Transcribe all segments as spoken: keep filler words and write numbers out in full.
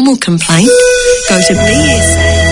Formal complaint? Go to B S A.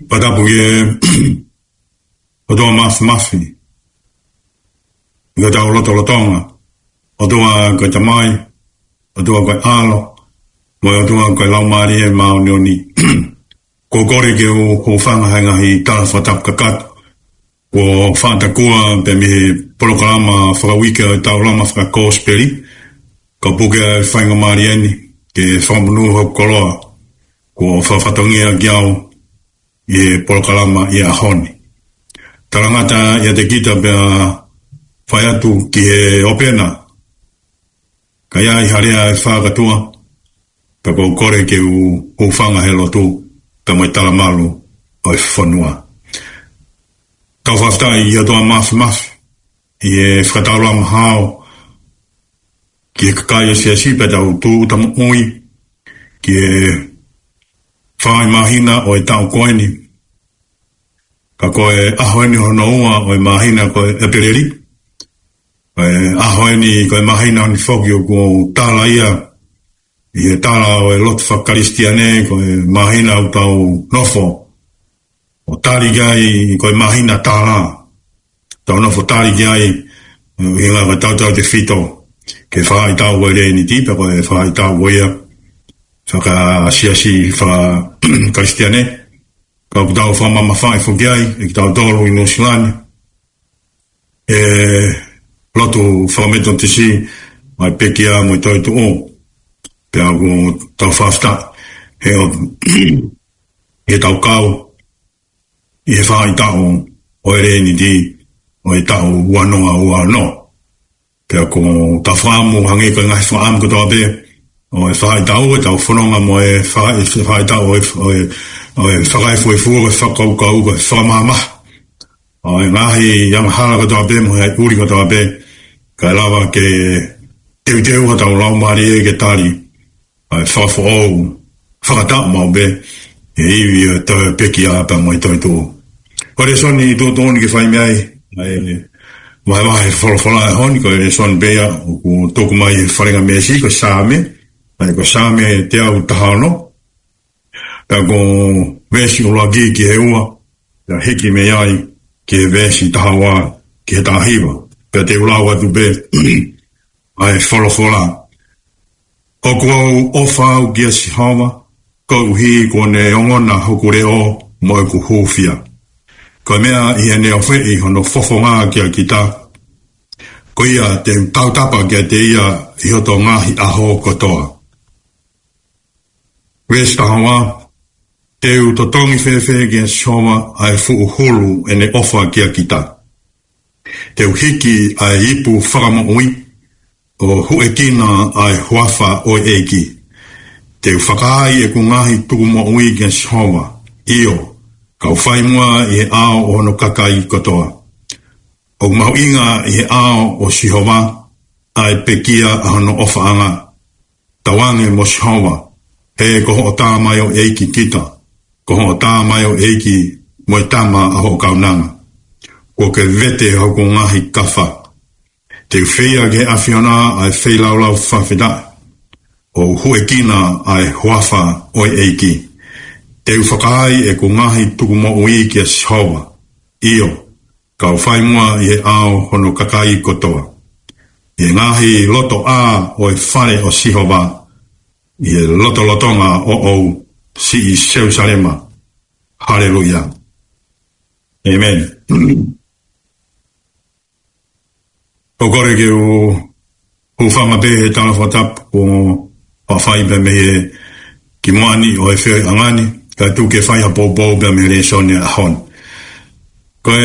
Fakatapu ki he ʻOtua Māfimafi, ʻi hotau lotolotonga. ʻOtua ko e Tamai, ʻOtua ko e ʻAlo, Mo e ʻOtua ko e Laumālie Māʻoniʻoni. Ko e kole ke u hūfanga he ngaahi tala fakatapu kakato kuo faʻa takua pē mei he polokalama fakauike ʻo e Taulama Fakakosipeli, ka puke ai e faingamālie ni ke fakamonū hoku koloa kuo fakafatongia kiate au ʻi he polokalama ʻi he ʻaho ni. Talangata ʻiate kita pea fai atu ki he ʻopena, ka ʻi ai ha lea ʻe fakatuʻa, pea ko e kole ke u hūfanga he lotu pea mo e talamalu ʻo e fonua. Tau fakafetaʻi ki he ʻOtua Māfimafi ʻi he fakataulama hao ki he kakai ʻo e siasi pea tau tuʻuta moʻui ki he fā māhina ʻo e taʻu ko eni. Ka ko e ʻaho eni hono ua ʻo e māhina ko e ʻEpeleli. Ko e ʻaho eni ko e māhina eni foki ʻoku tala ia ʻi he tala ʻo e lotu fakakalisitiane, ko e māhina ʻoku tau nofo ʻo tali ki ai, ko e māhina tala. Tau nofo tali ki ai, ʻi he ngaahi taʻu tautefito, ki he faʻahitaʻu ʻo e Leniti, pea ko e faʻahitaʻu ia fakasiasi fakakalisitiane. Ka ʻoku tau fakamamafaʻi foki ai ʻe kitautolu ʻi Nuʻusila ni e lotu fakametotisi, ʻa e pekia mo e toetuʻu. Pea ʻoku tau fakafetaʻi he ʻoku, he tau kau ʻi he faʻahitaʻu ʻo e Leniti ʻo e taʻu ua noa ua ono. Pea ʻoku tau fakaʻamu, hangē ko e ngaahi fakaʻamu kotoa pē ʻo e faʻahitaʻu, ʻetau fononga mo e faʻa-, e faʻahitaʻu ʻo e, ʻo e, ʻo e fakaefuefu, ʻo e fakakaukau, ʻo e fakamahamaha ʻo e ngaahi angahala kotoa pē mo e ʻuli kotoa pē, kae lava ke teuteu hotau laumālie ke tali ʻa e fakafoʻou fakataʻu maʻu pē ʻi he ivi ʻo e pekia pea mo e toetuʻu. Ko e lēsoni tuʻutuʻuni ke fai mei ai ʻa e vahevahe folofola ʻo e ʻaho ni, ko e lēsoni pē ia ʻoku tuku mai he faʻahinga veesi, ko e Saame, ʻa ia ko e Saame teau taha ono, pea ko e veesi ʻuluaki ki he ua, pea hiki mei ai ki he veesi taha ua ki he taha hiva. Pea te u lau atu pē ʻa e folofola. ʻOku ou ʻofa au kia Sihova, koeʻuhi kuo ne ongona hoku leʻo mo ʻeku hūfia. Ko e meʻa ʻi heʻene ofeʻi hono fofonga kia kita, ko ia te u tautapa kiate ia ʻi hoto ngaahi ʻaho kotoa. Veesi taha ua, te u totongi fēfē kia Sihova ʻa e fuʻu hulu ʻene ʻofa kia kita. Te u hiki ʻa e ipu fakamoʻui ʻo huʻekina ʻa e huafa ʻo e ʻEiki. Te u fakaai ʻeku ngaahi tukumoʻui kia Sihova, ʻio, kau fai muʻa ʻi he ʻao ʻo hono kakai kotoa. ʻOku mahuʻinga ʻi he ʻao ʻo Sihova ʻa e pekia ʻa hono ʻofaʻanga. Tauange mo Sihova, he ko hoʻo tamaioʻeiki kita, ko hoʻo tamaioʻeiki mo e tama ʻa hoʻo kaunanga. Kuo ke vete hoku ngaahi kafa. Te u feia ki he ʻAfiona ʻa e feilaulau fakafetaʻi, ʻo huʻekina ʻa e huafa ʻo e ʻEiki. Te u fakaai ʻeku ngaahi tukumoʻui kia Sihova, ʻio, kau fai muʻa ʻi he ʻao hono kakai kotoa. ʻI he ngaahi lotoʻā ʻo e fale ʻo Sihova, ʻi he lotolotonga ʻoʻou, siʻi Selusalema. Haleluia. ʻĒmeni. ʻOku ou kole ke u hūfanga pē he tala fakatapu kuo fai pē mei he kimuʻa ni ʻo e feohiʻanga ni, kae tuku ke fai ha poupou pē mei he lēsoni ʻo e ʻaho ni. Ko e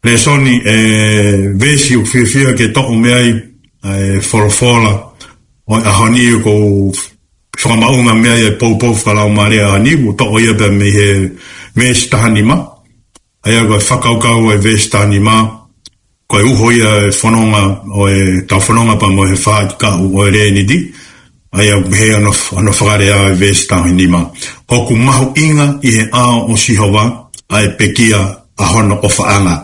lēsoni, ʻe, veesi ʻoku fiefia ke toʻo mei ai ʻa e folofola ʻo e ʻaho ni, ʻoku ou fakamaʻunga mei ai e poupou fakalaumālie ʻa e ʻaho ni, ʻoku toʻo ia pē mei he veesi taha nima. ʻA ia ko e fakakaukau ʻo e veesi taha nima, ko e uho ia e fononga ʻo ʻetau fononga pea mo e faʻahikaʻu ʻo e Leniti. ʻA ia ʻoku pehē hono, hono fakalea ʻo e veesi taha nima: ʻOku mahuʻinga ʻi he ʻao ʻo Sihova ʻa e pekia ʻa hono ʻofaʻanga.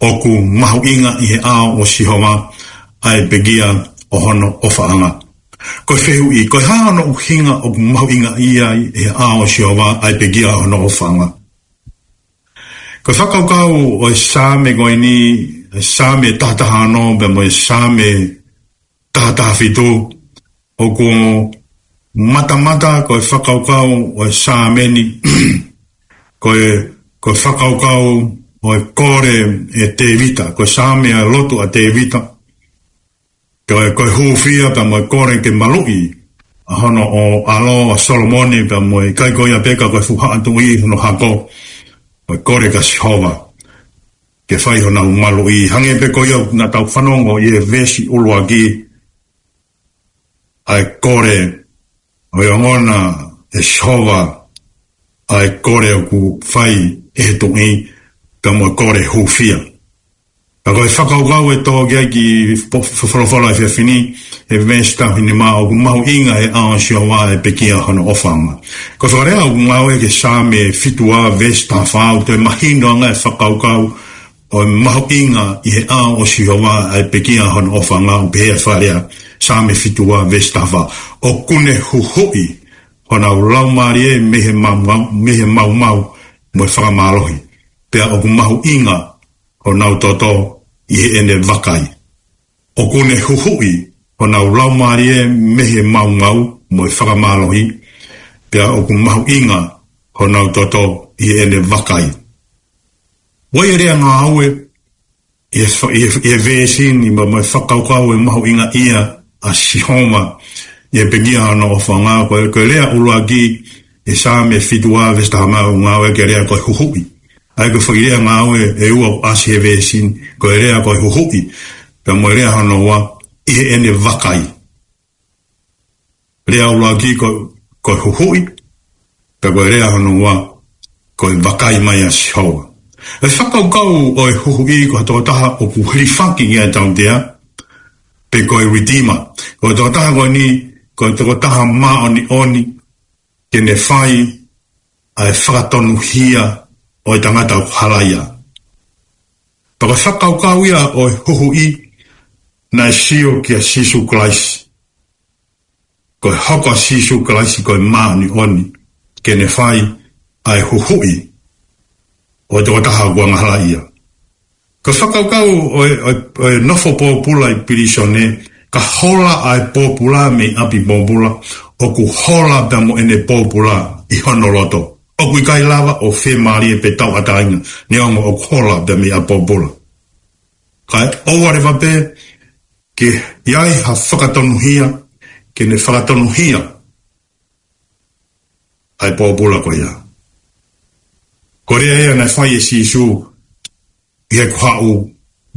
ʻOku mahuʻinga ʻi he ʻao ʻo Sihova ʻa e pekia ʻa hono ʻofaʻanga. Ko e fehuʻi, ko e hā hono ʻuhinga ʻoku mahuʻinga ʻi ai ʻi he ʻao ʻo Sihova ʻa e pekia ʻa hono ʻofaʻanga? Ko e fakakaukau ʻo e Saame ko eni, e Saame taha taha ono pea mo e Saame taha taha fitu, ʻOku matamata ko e fakakaukau ʻo e Saame ni, ko e, ko e fakakaukau ʻo e kole ʻe Tēvita, ko e Saame ʻa e lotu ʻa Tēvita, ko e, ko e hūfia pea mo e kole ke maluʻi ʻa hono ʻo ʻAlo ʻa Solomone pea mo e ʻikai ko ia pē ka ko e fuʻu haʻa tuʻi hono hako, ko e kole kia Sihova ke fai honau maluʻi. Hangē pē ko ia naʻa tau fanongo ʻi he veesi ʻuluaki, ʻa e kole ʻo e ongona ʻe Sihova, ʻa e kole ʻoku fai ʻe he tuʻi, pea mo e kole hūfia. Ka ko e fakakaukau ʻe tō ki ai ki po-, fo-, folofola ʻa e efiafi ni, he veesi taha hiva nima, ʻoku mahuʻinga he ʻao ʻo Sihova ʻa e pekia hono ʻofaʻanga. Ko e fakalea ʻoku ngāueʻaki he Saame fitu ua veesi taha fā, ʻoku toe mahino ange e fakakaukau ʻo e mahuʻinga ʻi he ʻao ʻo Sihova ʻa e pekia hono ʻofaʻanga, ʻoku pehē ʻa e fakalea, Saame fitu ua veesi taha fā: ʻOku ne huhuʻi honau laumālie mei he maumau, mei he maumau mo e fakamālohi, pea ʻoku mahuʻinga honau toto ʻi heʻene vakai. ʻOku ne huhuʻi honau laumālie mei he maumau mo e fakamālohi, pea ʻoku mahuʻinga honau toto ʻi heʻene vakai. ʻOku ʻi ai e lea ngāue ʻi he fa-, ʻi he, ʻi he veesi ni mo, mo e fakakaukau ʻo e mahuʻingaʻia ʻa Sihova ʻi he pekia hono ʻofaʻanga. Ko e, ko e lea ʻuluaki ʻi he Saame fitu ua veesi taha fā ʻoku ngāueʻaki e lea ko e huhuʻi. ʻA ia ko e foʻi lea ngāue ʻe ua ʻoku ʻasi he veesi ni, ko e lea ko e huhuʻi, pea mo e lea hono ua, ʻi heʻene vakai. Lea ʻuluaki ko, ko e huhuʻi, pea ko e lea hono ua, ko e vakai mai ʻa Sihova. ʻE fakakaukau ʻo e huhuʻi ko ha tokotaha ʻoku hilifaki ki ai e tautea, pe ko e redeemer. Ko e tokotaha ko eni, ko e tokotaha māʻoniʻoni, ke ne fai ʻa e fakatonuhia ʻo e tangata ʻoku halaia. Pea ko e fakakaukau ia ʻo e huhuʻi naʻe sio kia Sīsū Kalaisi. Ko e hoko ʻa Sīsū Kalaisi ko e māʻoniʻoni, ke ne fai ʻa e huhuʻi ʻo e tokotaha ʻoku angahalaʻia. Ko e fakakaukau ʻo e, ʻo e, ʻo e nofo pōpula ʻi pilīsone, ka hola ʻa e pōpula mei ʻapi pōpula, ʻoku hola pea mo ʻene pōpula ʻi hono loto. ʻOku ʻikai lava ʻo fiemālie pe tauʻatāina, neongo ʻoku hola pea mei ʻapi pōpula. Kae ʻoua leva pē ke ʻi ai ha fakatonuhia, ke ne fakatonuhia ʻa e pōpula ko ia. Ko e lea ia naʻe fai ʻe Sīsū ʻi heʻeku haʻu,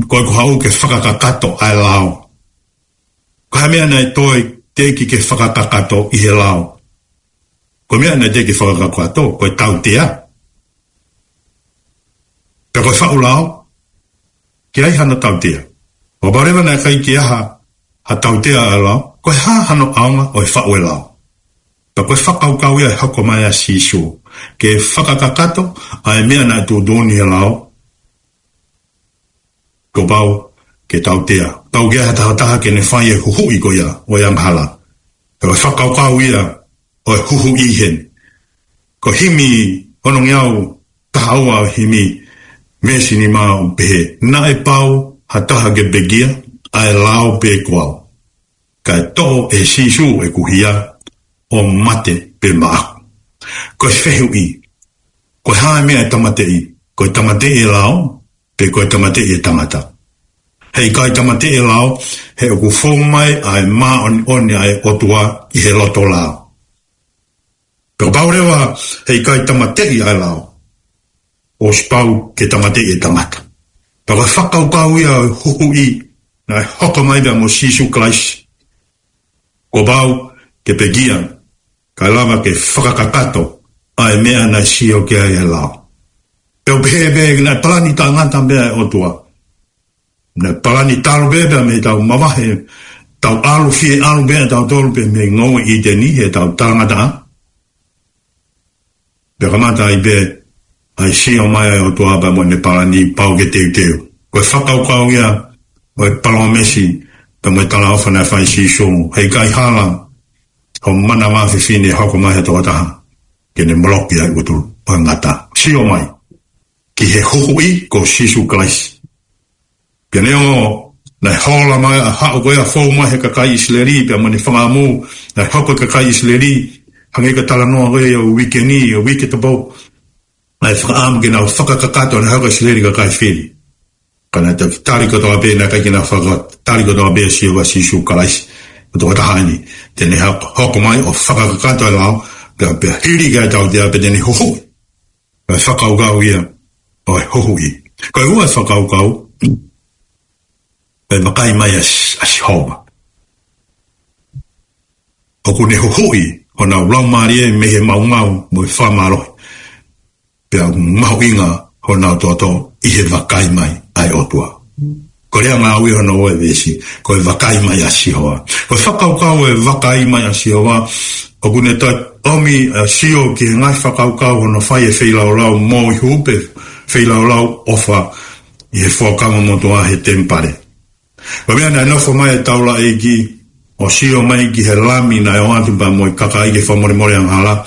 ko ʻeku haʻu ke fakakakato ʻa e lao. Ko e hā e meʻa naʻe toe teʻeki ke fakakakato ʻi he lao? Ko e meʻa naʻe teʻeki fakakakato, ko e tautea. Pea ko e faʻu lao, ke ʻi ai hano tautea. Kapau leva naʻe ʻikai ke ʻi ai ha, ha tautea ʻa e lao, ko e hā hano ʻaonga ʻo e faʻu e lao? Pea ko e fakakaukau ia ʻe hoko mai ʻa Sīsū, ke fakakakato ʻa e meʻa naʻe tuʻutuʻuni he lao, kuo pau ke tautea. Pau ke ʻi ai ha taha ke ne fai e huhuʻi ko ia ʻo e angahala. Pea ko e fakakaukau ia ʻo e huhuʻi heni. Ko e himi onongeau taha ua, himi veesi nima ʻoku pehē: Naʻe pau ha taha ke pekia, ʻa e lao pe ko au? Kae toʻo ʻe Sīsū ʻeku hia ʻo mate pē maʻaku. Ko e fehuʻi, ko e hā e meʻa ʻe tāmateʻi? Ko e tāmateʻi e lao, pe ko e tāmateʻi e tangata? Heʻikai tāmateʻi e lao, he ʻoku fou mai ʻa e māʻoniʻoni ʻa e ʻOtua ʻi he loto lao. Pea kapau leva heʻikai tāmateʻi ʻa e lao, ʻosi pau ke tāmateʻi e tangata. Pea ko e fakakaukau ia ʻo e huhuʻi naʻe hoko mai pea mo Sīsū Kalaisi. Kuo pau ke pekia, kae lava ke fakakakato ʻa e meʻa naʻe sio ki ai e lao. Pea ʻoku pehē pē naʻe palani taʻengata pē ʻa e ʻOtua. Naʻe palani talu pē pea mei heʻetau mavahe, tau ʻalu, fie ʻalu pē ʻatautolu pē mei he ngoue ʻĪteni, heʻetau talangataʻa. Pea kamata ai pē ʻa e sio mai ʻa e ʻOtua pea mo ʻene palani, pau ke teuteu. Ko e fakakaukau ia ʻo e palōmesi pea mo e talaʻofa naʻe fai ʻe Sīsū: Heʻikai hala ho manava fefine ʻe hoko mai ha tokotaha ke ne moloki ʻa e ʻutu ʻo e ngata. Sio mai ki he huhuʻi ko Sīsū Kalaisi. Pea neongo Naʻe hola mai ʻa e haʻu ko ia ʻo fou mai he kakai ʻIsileli, pea mo ʻene fakaʻamu, naʻe hoko e kakai ʻIsileli, hangē ko e talanoa ko ia ʻo e uike ni, ʻo e uike tapau. Naʻe fakaʻamu ke nau fakakakato ʻa e hako ʻIsileli kakai fili. Ka naʻe toki tali kotoa pē, naʻe ʻikai ke nau faka-, tali kotoa pē ʻa Sihova Sīsū Kalaisi. Ko e tokotaha eni, te ne hoko, hoko mai ʻo fakakakato e lao, pea, pea hili ki ai e tautea pea te ne huhuʻi. Ko e fakakaukau ia ʻo e huhuʻi. Ko e ua e fakakaukau, ko e vakai mai ʻa S-, ʻa Sihova. ʻOku ne huhuʻi honau laumālie mei he maumau mo e fakamālohi. Pea ʻoku mahuʻinga honau toto ʻi he vakai mai ʻa e ʻOtua. Ko e lea ngāue hono ua e veesi, ko e vakai mai ʻa Sihova. Ko e fakakaukau ʻo e vakai mai ʻa Sihova, ʻoku ne toe ʻomi ʻa Sio ki he ngaahi fakakaukau hono fai e feilaulau moihuʻi pe feilaulau ʻofa ʻi he Fuakava Motuʻa he temipale. Ko e meʻa naʻe nofo mai e taulaʻeiki ʻo sio mai ki he lami naʻe ʻoatu pea mo e kakai ke fakamolemole angahala,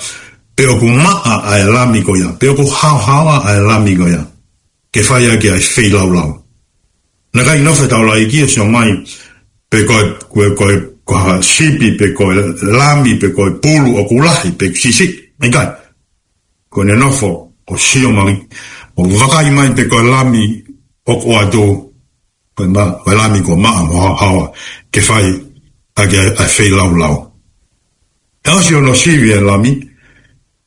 pe ʻoku maʻa ʻa e lami ko ia, pe ʻoku haohaoa ʻa e lami ko ia ke fai ʻaki ʻa e feilaulau. Naʻe ʻikai nofo e taulaʻeiki ʻo sio mai pe ko e, ko e, ko e, ko ha sipi, pe ko e lami, pe ko e pulu ʻoku lahi, pe siʻisiʻi. ʻIkai. Ko ʻene nofo ʻo sio mai, ʻo vakai mai pe ko e lami ʻoku ʻoatu, ko e ma-, ko e lami kuo maʻa mo haohaoa ke fai ʻaki ʻa e, ʻa e feilaulau. Pea ʻosi hono sivi e lami,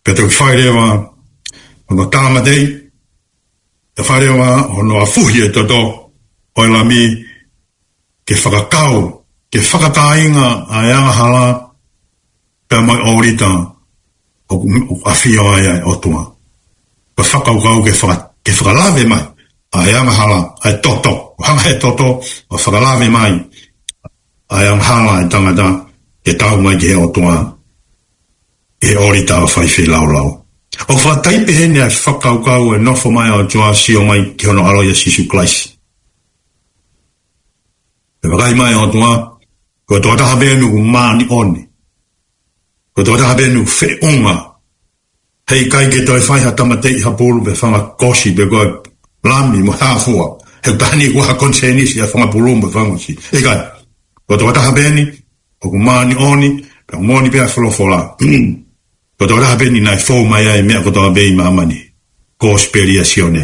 pea toki fai leva hono tāmateʻi, pea fai leva hono afuhi e toto ʻo e lami, ke fakakau, ke fakakāinga ʻa e angahala pea mo e ʻōlita ʻoku, ʻoku ʻafio ai ʻa e ʻOtua. Ko e fakakaukau ke faka-, ke fakalave mai ʻa e angahala, ʻa e toto, ʻo hanga he toto ʻo fakalave mai ʻa e angahala ʻa e tangata ke tau mai ki he ʻOtua, ʻi he ʻōlita ʻo fai feilaulau. ʻOku fakataipe heni ʻa e fakakaukau ʻo e nofo mai ʻa e ʻOtua, sio mai ki hono ʻAlo ʻia Sīsū Kalaisi. Pea vakai mai ʻa e ʻOtua, ko e tokotaha pē eni ʻoku māʻoniʻoni. Ko e tokotaha pē eni ʻoku feʻunga. Heʻikai ke toe fai ha tāmateʻi ha pulu pe fanga kosi pe ko e lami mo ha fua. He taha ni ʻoku ʻi ai ha konisēnisi ʻa e fanga pulu mo e fanga kosi. ʻIkai. Ko e tokotaha pē eni ʻoku māʻoniʻoni, pea moʻoni pē ʻa e folofola. Ko e tokotaha pē eni naʻe fou mai ai e meʻa kotoa pē ʻi māmani. Kosipeli ʻa Sione.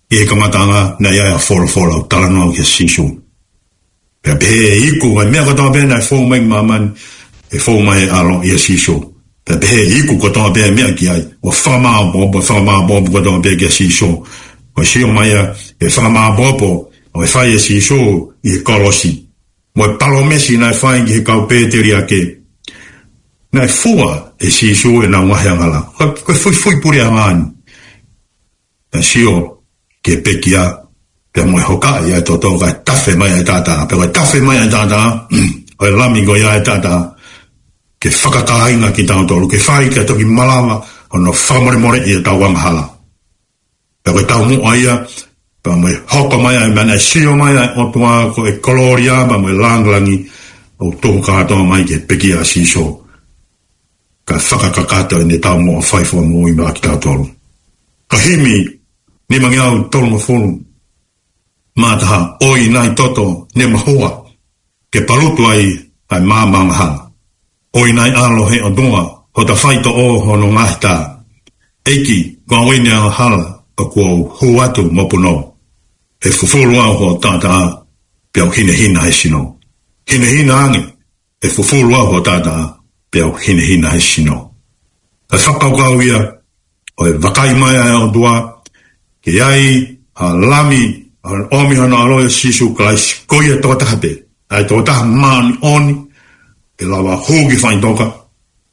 ʻI he kamataʻanga naʻe ʻi ai ʻa e folofola ʻoku talanoa kia Sīsū. Pea pehē ʻe iku ʻa e meʻa kotoa pē naʻe fou mai ʻi māmani, ʻe fou mai e ʻAlo ʻia Sīsū. Pea pehē ʻe iku kotoa pē meʻa ki ai, ʻo fakamāopoopo, fakamāopoopo kotoa pē kia Sīsū. ʻO sio mai ʻa e fakamāopoopo ʻoku fai ʻe Sīsū ʻi he kolosi. Mo e palōmesi naʻe fai ki he kau pēteliake. Naʻe fua ʻe Sīsū ʻenau ngaahi angahala. Ko, ko e fuifui puleʻanga eni. Naʻe sio ki he pekia, pea mo e hokaʻi ʻa e toto kae tafe mai ʻa e taʻataʻa. Pea ko e tafe mai ʻa e taʻataʻa, ʻo e lami ko ia ʻa e taʻataʻa, ke fakakāinga kitautolu, ke fai ke toki malava hono fakamolemoleʻi ʻetau angahala. Pea ko e taumuʻa ia, pea mo e hoko mai ʻa e meʻa naʻe sio mai ʻa e ʻOtua ko e kolōlia, pea mo e lāngilangi, ʻo tuku kātoa mai ki he pekia ʻa Sīsū. Kae fakakakato ʻene taumuʻa ʻo fai fua moʻui maʻa kitautolu. Ko e himi nimangeau tolungofulu mā taha, ʻOi nai toto ne mahua, ke palutu ai ʻa e maama angahala. ʻOi nai ʻAlo he ʻOtua, hota faitoʻo hono ngaahi tā. ʻEiki, ko au eni angahala, ʻoku ou hū atu mo punou. ʻE fufulu au ho taʻataʻa, pea u hinehina he sino. Hinehina ange, ʻe fufulu au ho taʻataʻa, pea u hinehina he sino. Ko e fakakaukau ia ʻo e vakai mai ʻa e ʻOtua, ke ʻi ai ha lami, ʻa e ʻomi hono ʻAlo ʻia Sīsū Kalaisi, ko ia tokotaha pē, ʻa e tokotaha māʻoniʻoni, ʻe lava hū ki faʻitoka,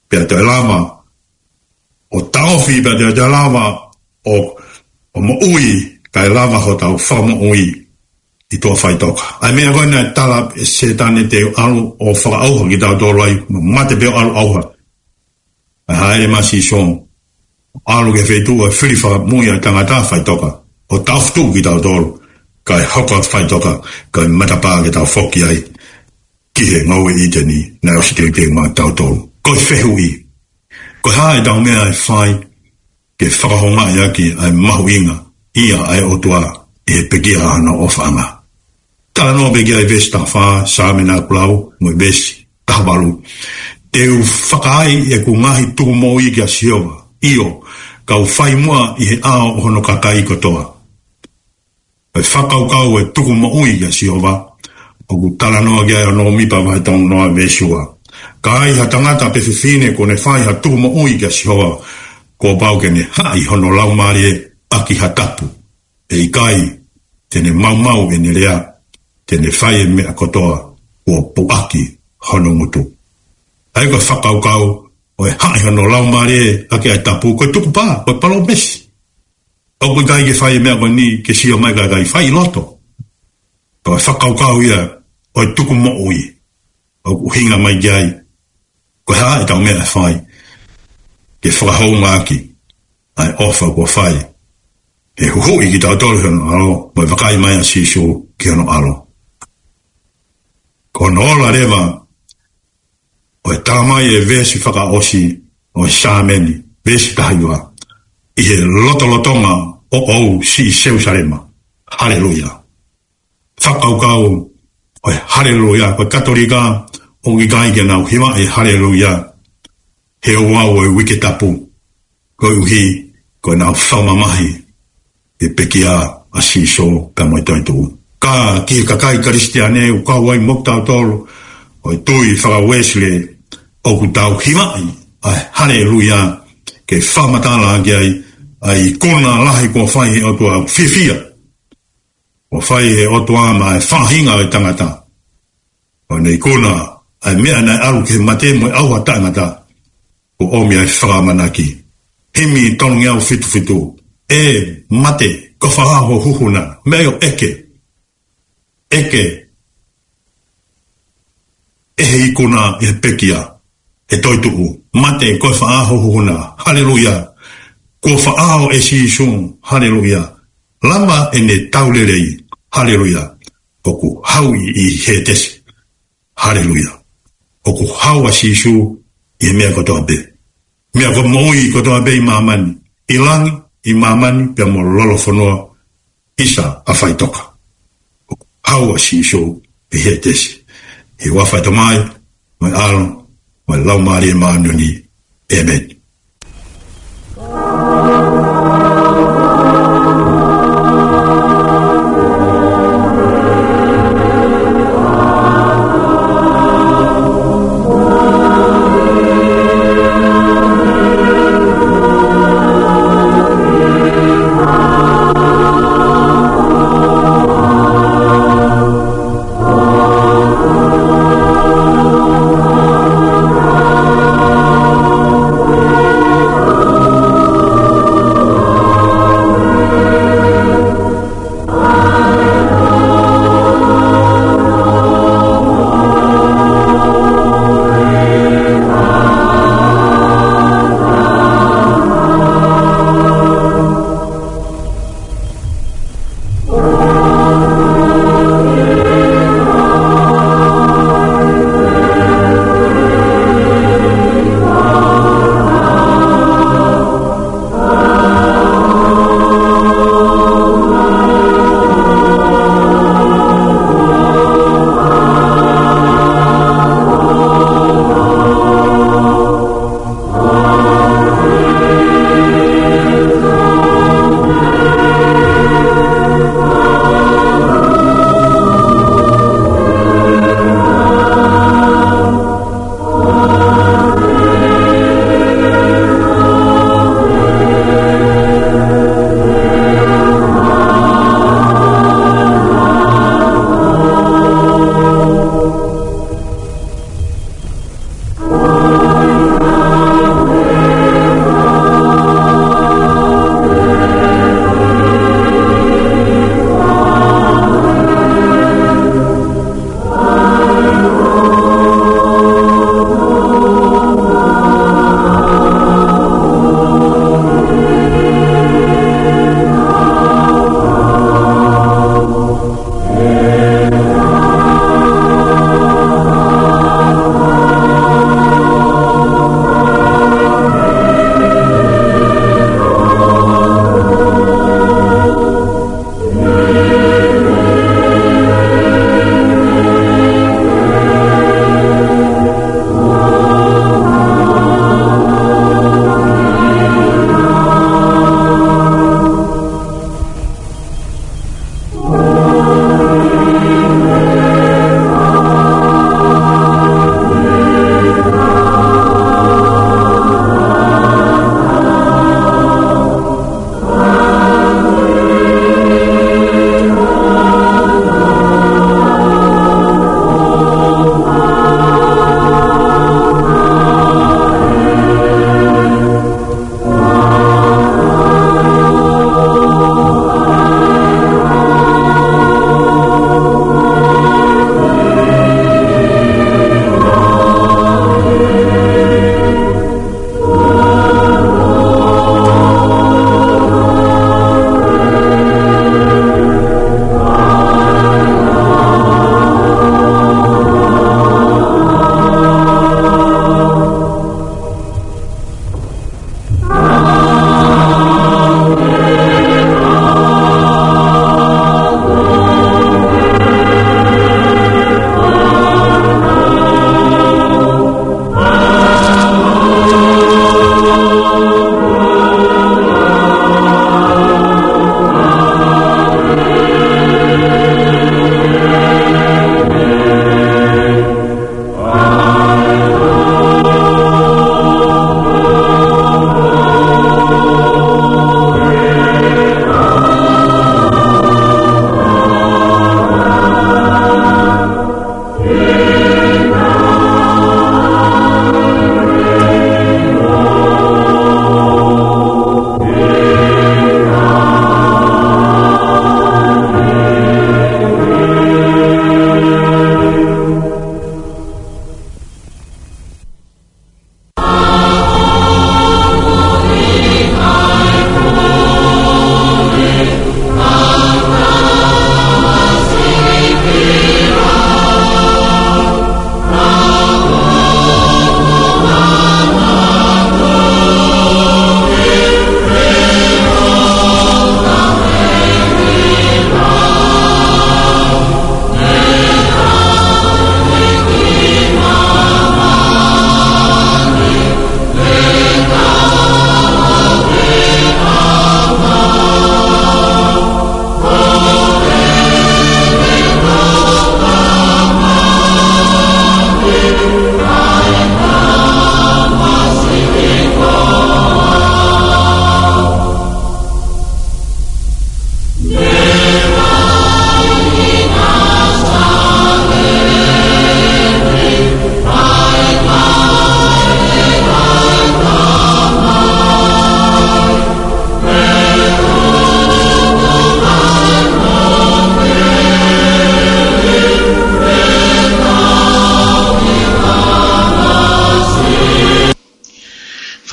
pea toe lava ʻo taʻofi, pea toe, toe lava ʻo, ʻo moʻui, kae lava hotau fakamoʻui ʻi tuʻa faʻitoka. ʻA e meʻa ko ē naʻe tala ʻe Sētane te u ʻalu ʻo fakaʻauha kitautolu ai, mo mate pē ʻo ʻalu ʻauha. ʻA e hāʻele mai ʻa Sīsū, ʻalu ki he feituʻu ʻo e fili fakamoʻui ʻa e tangata faʻitoka, ʻo taʻofi tuʻu kitautolu, kae hoko atu faʻitoka, kae matapā ke tau foki ai ki he ngoue ʻĪteni naʻe ʻosi teuteu maʻa kitautolu. Ko e fehuʻi, ko e hā ʻetau meʻa ʻe fai ke fakahoungaʻi ʻaki ʻa e mahuʻinga ia ʻa e ʻOtua ʻi he pekia ʻa hono ʻofaʻanga? Talanoa pē ki ai e veesi taha fā, Saame naʻa ku lau, mo e veesi taha valu. Te u fakaai ʻeku ngaahi tukumoʻui kia Sihova. ʻIo, kau fai muʻa ʻi he ʻao ʻo hono kakai kotoa. ʻE fakakaukau e tukumoʻui kia Sihova. ʻOku talanoa ki ai ʻa ʻOmipa vahe tolu noa veesi ua. Ka ai ha tangata pe fefine kuo ne fai ha tukumoʻui kia Sihova, kuo pau ke ne haʻi hono laumālie ʻaki ha tapu. ʻE ʻikai te ne maumau ʻene lea, te ne fai e meʻa kotoa kuo puʻaki hono ngutu. ʻA ia ko e fakakaukau ʻo e haʻi hono laumālie ʻaki ʻa e tapu, ko e tukupā, ko e palōmesi. ʻOku ʻikai ke fai e meʻa ko eni ke sio mai kae ʻikai, fai ʻi loto. Ko e fakakaukau ia ʻo e tukumoʻui ʻoku ʻuhinga mai ki ai ko e hā ʻetau meʻa ʻe fai ke fakahoungaʻaki ʻa e ʻofa kuo fai, ʻe huhuʻi kitautolu ʻe hono ʻAlo, mo e vakai mai ʻa Sīsū ki hono ʻAlo. Ko hono ola leva ʻo e tala mai e veesi fakaʻosi ʻo e Saame ni, veesi taha hiva: ʻI he lotolotonga ʻoʻou, siʻi Selūsalema. Haleluia. Fakakaukau ʻo e haleluia. Ko e Katolika ʻoku ʻikai ke nau hivaʻi e haleluia he ouau ʻo e Uike Tapu, koeʻuhi ko ʻenau fakamamahi e pekia ʻa Sīsū pea mo e toetuʻu. Ka ki he kakai Kalisitiane ʻoku kau ai mo kitautolu ʻo e tui faka-Uēsile, ʻoku tau hivaʻi ʻa e haleluia ke fakamatala ki ai ʻa e ikuna lahi kuo fai he ʻOtua, fiefia kuo fai he ʻOtua maʻa e faʻahinga ʻo e tangata. ʻO ne ikuna ʻa e meʻa naʻe ʻalu ki he mate mo e ʻauha taʻengata, kuo ʻomi ai e fakaʻamanaki. Himi tolungeau fitu fitu: ʻE mate, ko e fē ho huhu na? Meʻa ia ʻo ʻeke. ʻEke ʻe he ikuna ʻi he pekia, ʻe toetuʻu. Mate, ko e fē ho huhu na? Haleluia. Kuo faʻao ʻe Sīsū. Haleluia. Lava ʻene tau lelei. Haleluia. ʻOku hau ʻi, ʻi Hētesi. Haleluia. ʻOku hau ʻa Sīsū ʻi he meʻa kotoa pē. Meʻa ko e moʻui kotoa pē ʻi māmani, ʻi langi, ʻi māmani, pea mo lolofonua, ʻisa ʻa faʻitoka. ʻOku hau ʻa Sīsū ʻi Hētesi. ʻI he huafa ʻo e Tamai, mo e ʻAlo, mo e Laumālie Māʻoniʻoni. ʻĒmeni.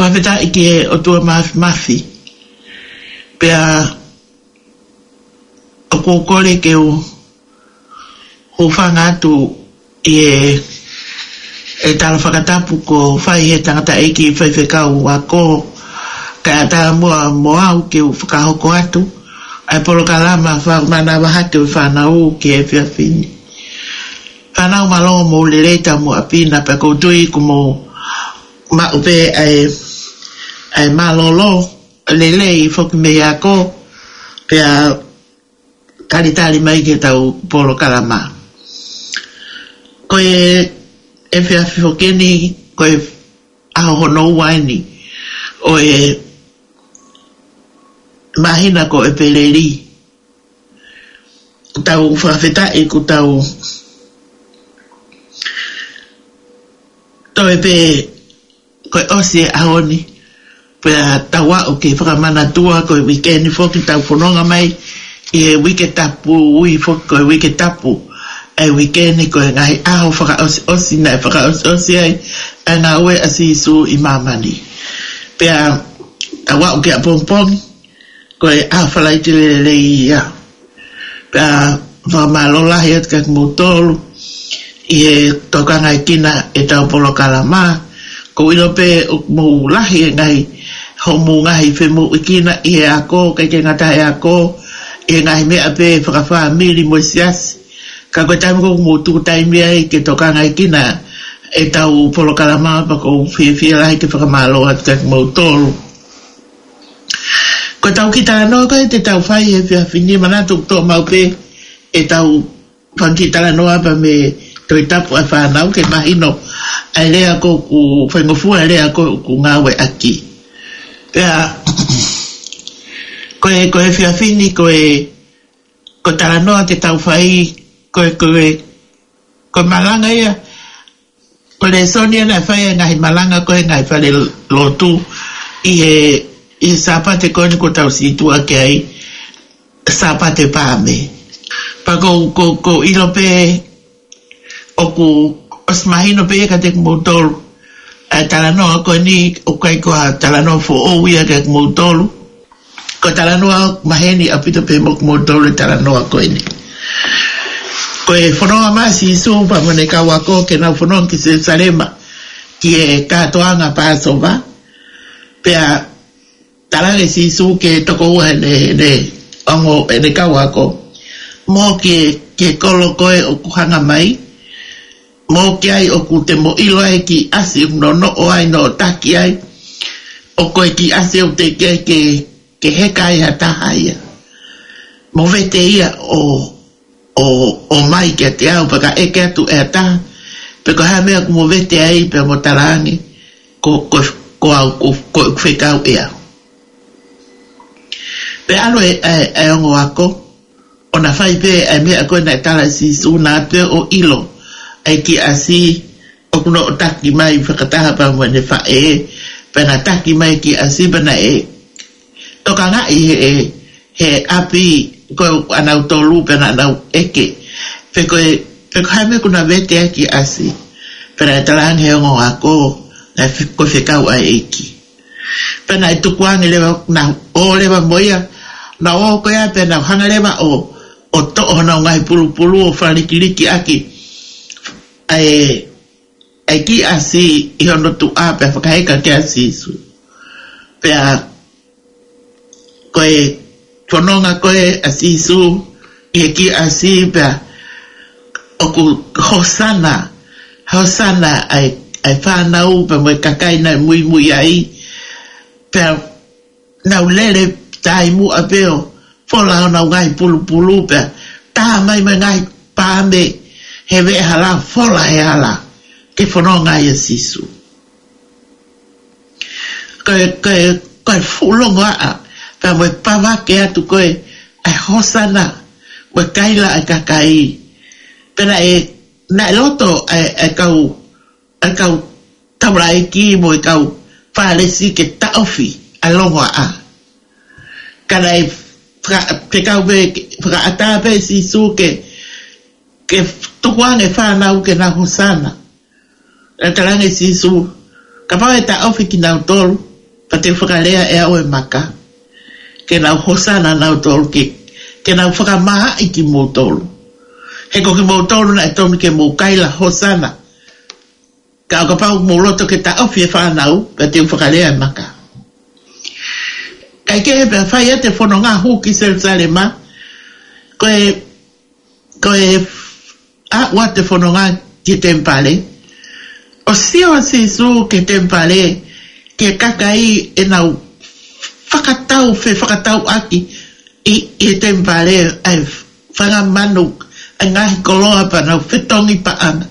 Fakafetaʻi ki he ʻOtua Mafimafi. Pea ʻoku ou kole ke u hūfanga atu ʻi he, ʻe tala fakatapu kuo fai he tangataʻeiki faifekau ako, kae ʻatā muʻa mo au ke u fakahoko atu ʻa e polokalama fakamanavahē ʻo e fānau ki he efiafi ni. Fānau, mālō mo e lelei, tau mo ʻapi na, pea ʻoku ou tui kuo mou maʻu pē ʻa e, ʻa e mālōlō, lelei foki mei he ako, pea talitali mai ki heʻetau polokalama. Ko e efiafi foki eni, ko e ʻaho hono ua eni ʻo e māhina ko ʻEpeleli. Tau fakafetaʻi kuo tau toe pē, kuo ʻosi e ʻaho ni. Pea tau aʻu ki he fakamanatua, ko e uike ni foki tau fononga mai ʻi he uike tapu, ui foki ko e uike tapu ʻa e uike ni, ko e ngaahi ʻaho fakaʻosiʻosi naʻe fakaʻosiʻosi ai ʻa e ngāue ʻa Sīsū ʻi māmani. Pea tau aʻu ki ʻapongipongi, ko e ʻaho Falaite lelei ia. Pea fakamālō lahi atu kiate kimoutolu ʻi he tokangaʻi kinautolu ʻetau polokalama. ʻOku ou ʻilo pē ʻoku mou lahi e ngaahi, hoʻomou ngaahi femoʻuekina ʻi he ako, ʻikai ke ngata he ako, ʻi he ngaahi meʻa pē fakafāmili mo e siasi. Ka ko e taimi ko ē ʻoku mou tuku taimi ai ke tokangaʻi kinautolu ʻetau polokalama, pea ʻoku ou fiefia lahi ke fakamālō atu kiate kimoutolu. Ko ʻetau kiʻi talanoa ko ē te tau fai he efiafi ni, manatu ʻoku toʻo maʻu pē ʻetau fanga kiʻi talanoa pea mei he Tohi Tapu ʻa e fānau ke mahino ʻa e lea ko ē ʻoku faingofua, ʻa e lea ko ē ʻoku ngāueʻaki. Pea ko e, ko e efiafi ni ko e, ko e talanoa te tau fai, ko e, ko e, ko e malanga ia, ko e lēsoni ia naʻe fai ʻe he ngaahi malanga ko ē he ngaahi falelotu ʻi he, ʻi he Sāpate ko eni kuo tau situʻa ki ai, Sāpate Paame. Pea ʻoku ou, ʻoku ou, ʻoku ou ʻilo pē ʻoku ʻosi mahino pē ia kiate kimoutolu ʻa e talanoa ko eni, ʻoku ʻikai ko ha talanoa foʻou ia kiate kimoutolu. Ko e talanoa maheni ʻaupito pē mo kimoutolu e talanoa ko eni. Ko e fononga mai ʻa Sīsū pea mo ʻene kau ako ke nau fononga ki Selusalema ki he kātoanga Pāsova. Pea talaange ʻe Sīsū ki he tokoua ʻene, ʻene ongo, ʻene kau ako, mou ō ki he, ki he kolo ko ē ʻoku hanga mai, mou ō ki ai ʻoku te mou ʻilo ai e kiʻi ʻasi ʻoku nonoʻo ai, noʻotaki ai, ʻoku ʻikai ko e kiʻi ʻasi ʻoku teʻeki ai ke, ke heka ai ha taha ia. Mou vete ia ʻo, ʻo, ʻomai kiate au, pea ka ʻeke atu ʻe ha taha pe ko e hā e meʻa ʻoku mou vete ai, pea mou talaange, ko, ko, ko au, ko, ko ʻeku fekau ʻe au. Pea ʻalu e, e, e ongo ako ʻo na fai pē ʻa e meʻa ko ē naʻe tala ʻe Sīsū, naʻa pē ʻo ʻilo ʻa e kiʻi ʻasi ʻoku noʻotaki mai fakataha pea mo ʻene faʻē, pea na taki mai e kiʻi ʻasi pea naʻe tokangaʻi he, he ʻapi ko ē ʻanautolu pea naʻa nau ʻeke pe ko e, pe ko e hā e meʻa ʻoku na vete ai e kiʻi ʻasi. Pea naʻe talaange ʻe he ongo ako, naʻe fe-, ko e fekau ʻa e ʻEiki. Pea naʻe tukuange leva, na ō leva mo ia, na ō ko ia pea nau hanga leva ʻo, ʻo toʻo honau ngaahi pulupulu ʻo falikilikiʻaki ʻa e, ʻa e kiʻi ʻasi ʻi hono tuʻa pea fakaheka kia Sīsū. Pea ko e fononga ko ē ʻa Sīsū ʻi he kiʻi ʻasi pea ʻoku hosana, hosana ʻa e, ʻa e fānau pea mo e kakai naʻe muimui ai. Pea nau lele taʻimuʻa pē ʻo fola honau ngaahi pulupulu pea tā mai mo e ngaahi paame he veʻehala, fola he hala ke fononga ai ʻa Sīsū. Ko e, ko e, ko e fuʻu longoaʻa pea mo e pavake atu ko ē ʻa e hosana mo e kaila ʻa e kakai. Pea naʻe, naʻe loto ʻa e, ʻa e kau, ʻa e kau taulaʻeiki mo e kau Fālesi ke taʻofi ʻa e longoaʻa. Ka naʻe faka-, fekau pē, fakaʻatā pē ʻe Sīsū ke, ke tukuange e fānau ke nau hosana. Naʻe talaange ʻe Sīsū, kapau ʻe taʻofi kinautolu, Ka te u fakalea ʻe au e maka, ke nau hosana nautolu ke, ke nau fakamāʻi kimoutolu. He ko kimoutolu naʻe tomi ke mou kaila hosana. Ka ʻo kapau mou loto ke taʻofi e fānau, ka te u fakalea e maka. Kae kehe pea fai atu e fononga hū ki Selusalema, ko e, ko e aʻu atu e fononga ki he temipale. ʻO sio ʻa Sīsū ki he temipale, ki he kakai ʻenau fakatau, fefakatauʻaki ʻi, ʻi he temipale, ʻa e fanga manu, ʻa e ngaahi koloa pea nau fetongi paʻanga.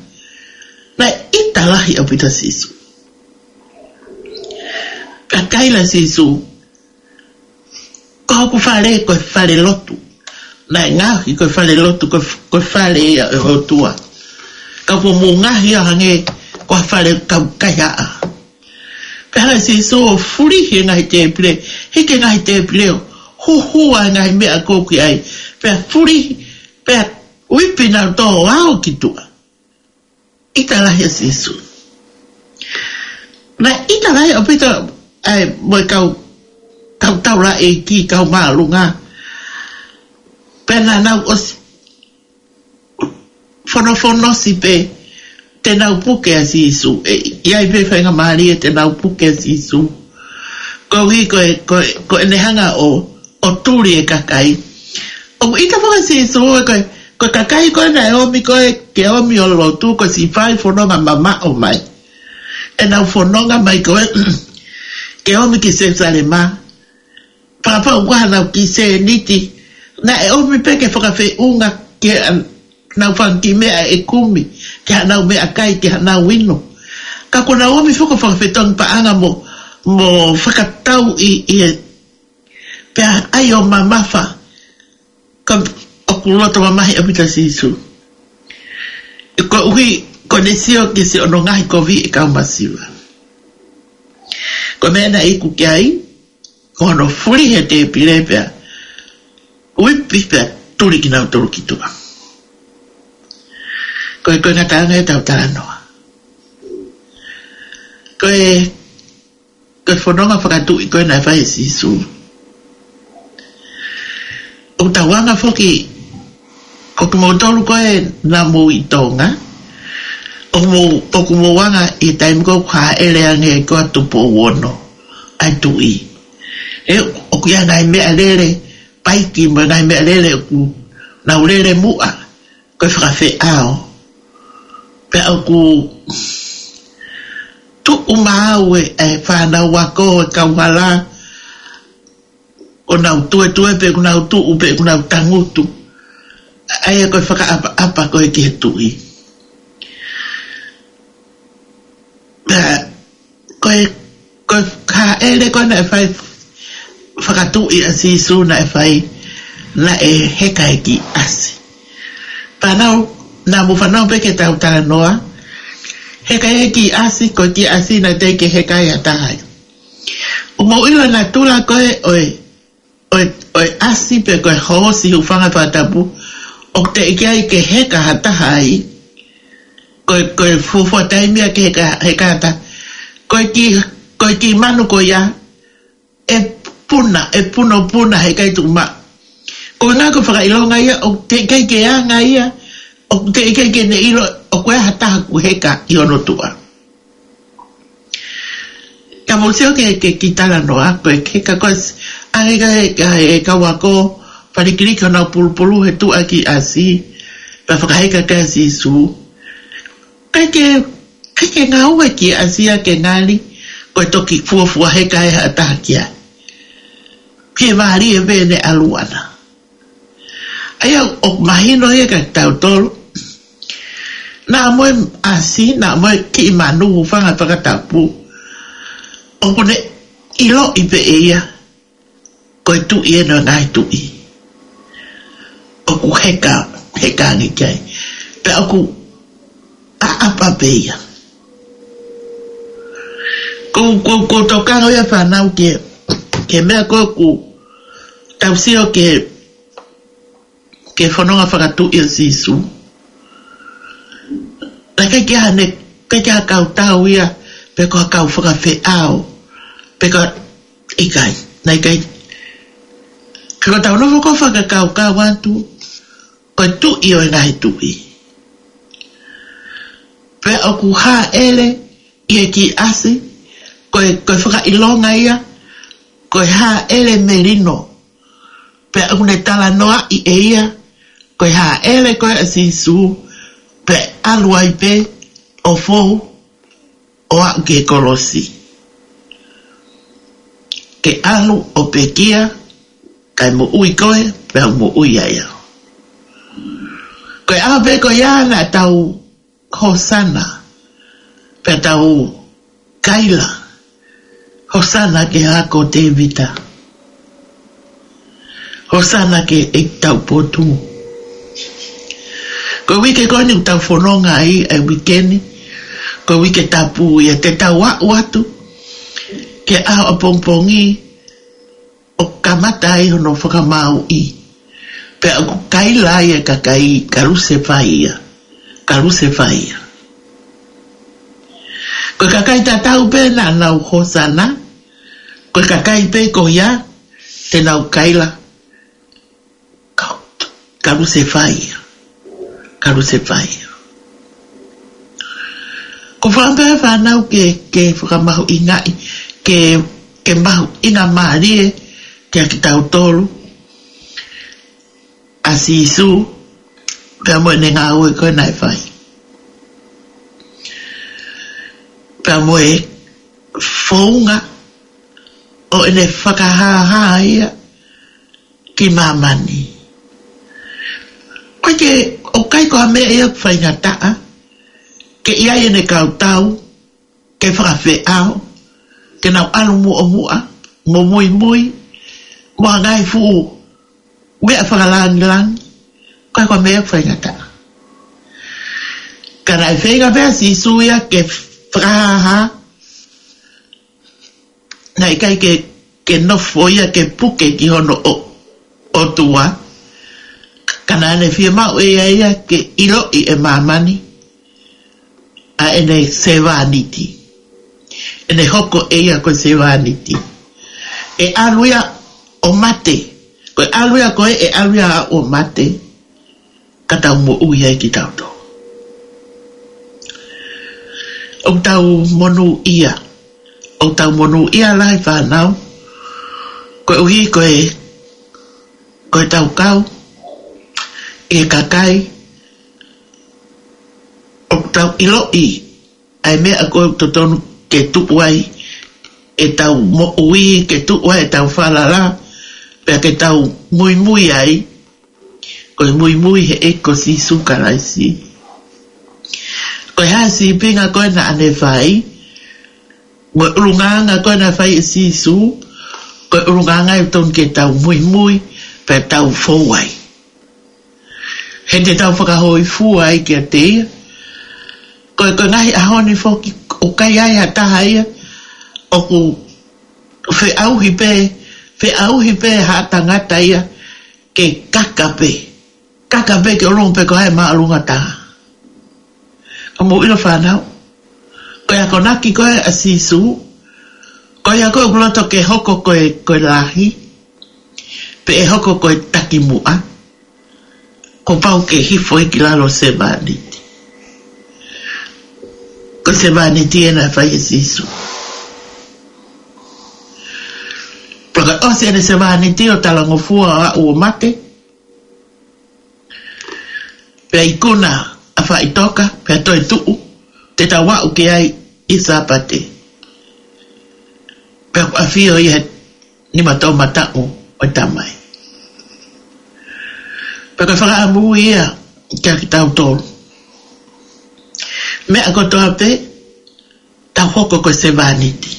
Naʻe ʻita lahi ʻaupito ʻa Sīsū. Ka kaila ʻa Sīsū, ko hoku fale ko e fale lotu. Naʻe ngaohi ko e fale lotu, ko e, ko e fale ia ʻo e ʻOtua. Ka ko mou ngaohi ia hangē ko ha fale kau kaihaʻa. Pea hanga ʻe Sīsū ʻo fulihi e ngaahi tēpile, hiki e ngaahi tēpile ʻo huhua e ngaahi meʻa ʻoku ʻi ai. Pea fulihi, pea uipi nautolu ʻo aʻu ki tuʻa. ʻIta lahi ʻa Sīsū. Naʻe ʻita lahi ʻaupito ʻa e mo e kau, kau taulaʻeiki, kau māʻolunga. Pea naʻa nau ʻosi fonofonosi pē te nau puke ʻa Sīsū. ʻE, ʻi ai pē faingamālie te nau puke ʻa Sīsū. Koeʻuhi ko e, ko e, ko ʻene hanga ʻo, ʻo tuli e kakai. ʻOku ʻita foki ʻa Sīsū ē ko e, ko e kakai ko ē naʻe ʻomi ko ē ke ʻomi ʻo lotu, ko e siʻi fai fononga mamaʻo mai. ʻEnau fononga mai ko ē ke ʻomi ki Selusalema. Fakapapauʻi ko haʻanau kiʻi sēniti. Naʻe ʻomi pē ke fakafeʻunga ki haʻanau fanga kiʻi meʻa ʻe kumi, ki haʻanau meʻakai, ki haʻanau inu. Ka kuo nau ʻomi foki ʻo fakafetongi paʻanga mo, mo fakatau ʻi, ʻi he, pea ʻai ʻo mamafa. Ka ʻoku loto mamahi ʻaupito ʻa Sīsū. Koeʻuhi ko ʻene sio ki siʻono ngaahi kovi e kau masiva. Ko e meʻa naʻe iku ki ai, ko hono fulihi e tēpile pea uipi pea tuli kinautolu ki tuʻa. Ko e, ko e ngataʻanga ia ʻetau talanoa. Ko e, ko e fononga fakatuʻi ko ē naʻe fai ʻe Sīsū. ʻOku tau anga foki, ko kimoutolu ko ē naʻa mou ʻi Tonga, ʻoku mou, ʻoku mou anga ʻi he taimi ko ē ʻoku hāʻele ange ai ko ē ʻa Tupou Ono, ʻa e tuʻi. ʻE, ʻoku ʻi ai e ngaahi meʻalele, paiki mo e ngaahi meʻalele ʻoku nau lele muʻa, ko e fakafeʻao. Pea ʻoku tuʻu maʻu e, e fānau ako, e kauhala, ʻoku nau tuetue pe ʻoku nau tuʻu pe ʻoku nau tangutu. ʻA ia ko e fakaʻapaʻapa ko ē ki he tuʻi. Pea ko e, ko e hāʻele ko ē naʻe fai fakatuʻi ʻa Sīsū naʻe fai, naʻe heka e kiʻi ʻasi. Fānau, naʻa mou fanongo pē ki heʻetau talanoa. Heka e kiʻi ʻasi, ko e kiʻi ʻasi naʻe teʻeki ke heka ai ha taha ia. ʻOku mou ʻilo e natula ko ē ʻo e, ʻo e, ʻo e ʻasi pe ko e hoosi, hūfanga he fakatapu, ʻoku teʻeki ai ke heka ha taha ai. Ko e, ko e fuofua taimi ia ke heka, heka ha taha. Ko e kiʻi, ko e kiʻi manu ko ia, ʻe puna, ʻe punopuna, heʻikai tuʻu maʻu. Ko e ʻuhinga ko e fakaʻilonga ia, ʻoku teʻeki ai ke anga ia, ʻoku teʻeki ai ke ne ʻilo ʻoku ʻi ai ha taha ʻoku heka ʻi hono tuʻa. Ka mou sio ki he, ki he kiʻi talanoa, ko e heka ko ē, ʻange ki he, ki he kau ako, falikiliki honau pulupulu he tuʻa e kiʻi ʻasi, pea fakaheka kia Sīsū. ʻIkai ke, ʻikai ke ngāue e kiʻi ʻasi ia ke ngali ko e toki fuofua heka ai ha taha ki ai. Fiemālie pē ʻene ʻalu ʻana. ʻA ia ʻoku mahino ia kiate kitautolu. Naʻa mo e ʻasi, naʻa mo e kiʻi manu, hūfanga he fakatapu, ʻoku ne ʻiloʻi pē ʻe ia ko e Tuʻi ʻeni ʻo e ngaahi tuʻi. ʻOku heka, heka ange ki ai. Pea ʻoku ʻaʻapa pē ia. Ko, ko, ko e tokanga ia fānau ki he, ki he meʻa ko ē ʻoku tau sio ki he, ki he fononga fakatuʻi ʻo Sīsū. Naʻe ʻikai ke ʻi ai haʻane, ʻikai ke ʻi ai ha kau tau ia, pe ko ha kau fakafeʻao, pe ko ha ʻIkai, naʻe ʻikai. Ka ko ʻetau nofo ko ē fakakaukau atu, ko e Tuʻi ʻo e ngaahi tuʻi. Pea ʻoku hāʻele ʻi he kiʻi ʻasi, ko e, ko e fakaʻilonga ia, ko e hāʻele melino. Pea ʻoku ne talanoaʻi ʻe ia, ko e hāʻele ko ē ʻa Sīsū, pea ʻalu ai pē ʻo fou, ʻo aʻu ki he kolosi. Ke ʻalu ʻo pekia, kae moʻui koe, pea u moʻui ai au. Ko e ʻaho pē ko ia naʻa tau hosana, pea tau kaila, hosana ki he Hako ʻo Tēvita. Hosana ki he ʻEiki Taupotu. Ko e uike ko eni ʻoku tau fononga ai, ʻa e uike ni, ko e Uike Tapu ia, te tau aʻu atu ki he ʻaho ʻapongipongi, ʻo kamata ai hono fakamāuʻi. Pea ʻoku kaila ai e kakai, kalusefai ia. Kalusefai ia. Ko e kakai tatau pē naʻa nau hosana, ko e kakai pē ko ia te nau kaila, ka-, kalusefai ia. Kalusefai ia. Ko e fakaʻamu pē fānau ke, ke fakamahuʻingaʻi, ke, ke mahuʻingamālie kiate kitautolu ʻa Sīsū, pea mo ʻene ngāue ko ē naʻe fai. Pea mo e founga ʻo ʻene fakahāhā ia ki māmani. ʻOku ʻikai ke, ʻoku ʻikai ko ha meʻa ia ʻoku faingataʻa ke ʻi ai ʻene kau tau, ke fakafeʻao, ke nau ʻalu muʻomuʻa, mo muimui, mo ha ngaahi fuʻu meʻa fakalāngilangi, ʻoku ʻikai ko ha meʻa ʻoku faingataʻa. Ka naʻe feinga pē ʻa Sīsū ia ke fakahāhā, naʻe ʻikai ke, ke nofo ia ke puke ki hono ʻo-, ʻOtua, ka naʻa ne fiemaʻu ʻe ia ia ke ʻiloʻi ʻe māmani ʻa ʻene sevāniti. ʻEne hoko ʻe ia ko e sevāniti. ʻE ʻalu ia ʻo mate. Ko e ʻalu ia ko ē, ʻe ʻalu ia ʻo mate, ka tau moʻui ai kitautolu. ʻOku tau monūʻia. ʻOku tau monūʻia lahi fānau. Koeʻuhi ko e, ko ʻetau kau ʻi he kakai ʻoku tau ʻiloʻi ʻa e meʻa ko ē ʻoku totonu ke tuʻu ai ʻetau moʻui, ke tuʻu ai ʻetau falala, pea ke tau muimui ai, ko e muimui he ʻEiki ko Sīsū Kalaisi. Ko e hā e sīpinga ko ē naʻa ne fai, mo e ʻulungaanga ko ē naʻe fai ʻe Sīsū, ko e ʻulungaanga ʻoku totonu ke tau muimui, pea tau fou ai. He te tau fakahōifua ai kiate ia. Ko e, ko e ngaahi ʻaho ni foki, ʻoku ʻikai ai ha taha ia ʻoku feʻauhi pē, feʻauhi pē ha tangata ia ke kaka pē. Kaka pē ke ʻolunga pē ko hai māʻolunga taha. Ka mou ʻilo fānau, ko e akonaki ko ē ʻa Sīsū, ko ia ko ē ʻoku loto ke hoko ko e, ko e lahi, pe ʻe hoko ko e takimuʻa, kuo pau ke hifo ia ki lalo sevāniti. Ko e sevāniti ē naʻe fai ʻe Sīsū. Pea ka ʻosi ʻene sevāniti ʻo talangofua ʻo aʻu ʻo mate, pea ikuna ʻa faʻitoka, pea toe tuʻu, te tau aʻu ki ai ʻi Sāpate. Pea ʻoku ʻafio ia he nima toʻomataʻu ʻo e Tamai. Pea ko e fakaʻamu ia kiate kitautolu. Meʻa kotoa pē, tau hoko ko e sevāniti.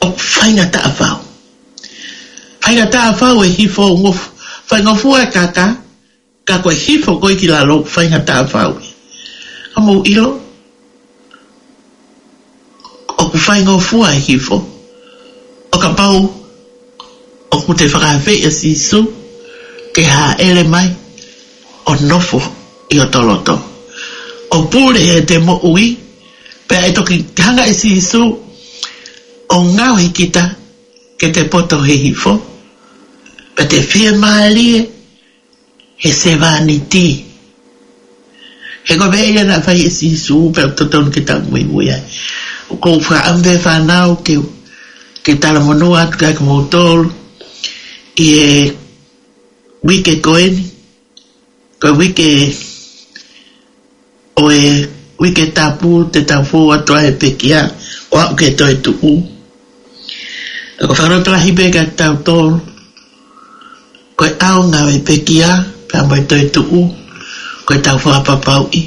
ʻOku faingataʻa fau. Faingataʻa fau e hifo ngof-, faingofua e kaka, ka ko e hifo ko ē ki lalo faingataʻa fau. Ka mou ʻilo, ʻoku faingofua e hifo ʻo kapau ʻoku te fakaafeʻi ʻa Sīsū ke hāʻele mai ʻo nofo ʻi hoto loto, ʻo pule ʻete moʻui, pea ʻe toki hanga ʻe Sīsū ʻo ngaohi kita ke te poto hihifo, pea te fiemālie he sevāniti. He ko e meʻa ia naʻe fai ʻe Sīsū, pea totonu ke tau muimui ai. ʻOku ou fakaʻamu pē fānau ke, ke talamonū atu kiate kimoutolu ʻi he uike ko eni, ko e uike ʻo e uike tapu te tau fou atu ai he pekia, ʻo aʻu ki he toetuʻu. Ka ko e fakalotolahi pē kiate kitautolu, ko e ʻaonga ʻo e pekia pea mo e toetuʻu, ko ʻetau fakapapauʻi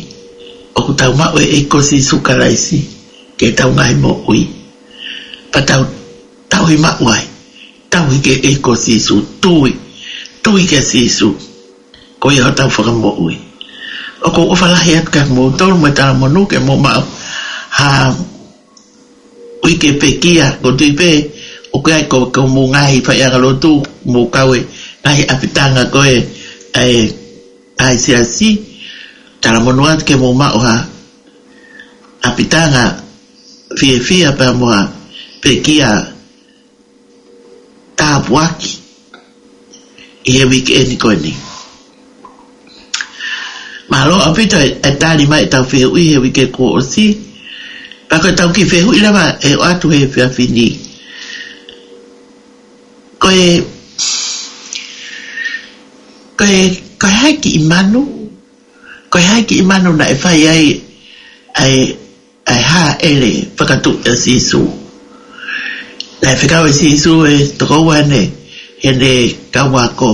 ʻoku tau maʻu e ʻEiki ko Sīsū Kalaisi ki heʻetau ngaahi moʻui. Pea tau, tau ʻi maʻu ai, tau ʻi he ʻEiki ko Sīsū, tui, tui kia Sīsū. Ko ia hotau fakamoʻui. ʻOku ou ʻofa lahi atu kiate kimoutolu mo e talamonū ke mou maʻu ha uike pekia, ʻoku ou tui pē ʻoku ʻi ai ko, ko homou ngaahi faiʻanga lotu, mou kau he ngaahi ʻapitanga ko ē ʻa e, ʻa e siasi, talamonū atu ke mou maʻu ha ʻapitanga fiefia pea mo ha pekia tāpuaki ʻi he uike eni ko eni. Mālō ʻaupito e, e tali mai ʻetau fehuʻi he uike kuo ʻosi. Pea ko ʻetau kiʻi fehuʻi leva ʻe ʻoatu he efiafi ni. Ko e, ko e, ko e hā e kiʻi manu, ko e hā e kiʻi manu naʻe fai ai ʻa e ʻa e hāʻele fakatuʻi ʻa Sīsū. Naʻe fekau ʻe Sīsū e tokoua ʻene, ʻene kau ako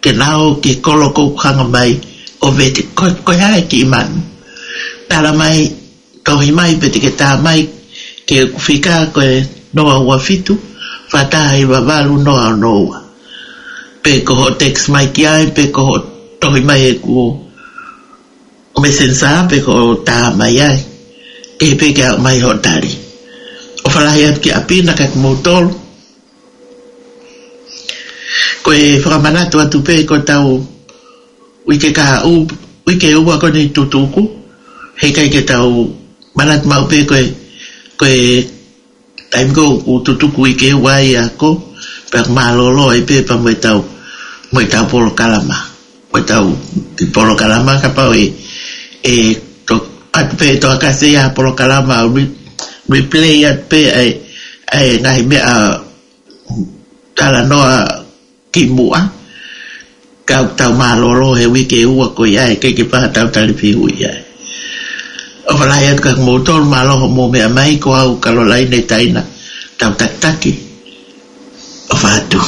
ke nau ō ki he kolo ʻoku hanga mai ʻo vete ko, ko e hā e kiʻi manu. Tala mai, tohi mai pe te ke tā mai ki heʻeku fika ko e noa ua fitu, fā taha hiva valu noa ono ua. Pe ko hoʻo text mai ki ai, pe ko hoʻo tohi mai heʻeku Messenger pe ko hoʻo tā mai ai. Ke pē ke aʻu mai hoʻo tali. ʻOfa lahi atu ki ʻapi na kiate kimoutolu. Ko e fakamanatu atu pē ko ʻetau uike kahaʻu, uike ua ko eni tutuku. Heʻikai ke tau manatu maʻu pē ko e, ko e taimi ko ē ʻoku tutuku uike ua ai ako, pea mālōlō ai pē pea mo ʻetau, mo ʻetau polokalama. Mo ʻetau kiʻi polokalama kapau ʻe, ʻe to, ʻatu pē ʻe Toa Kasi ia ha polokalama ʻo re, replay atu pē ʻa e, ʻa e ngaahi meʻa talanoa kimuʻa, ka ʻoku tau mālōlō he uike ua ko ia, ʻikai ke pā tau tali fehuʻi ai. ʻOfa lahi atu kiate kimoutolu, mālō hoʻomou meʻa mai, ko au Kalolaine Taina, tau takitaki. ʻOfa atu.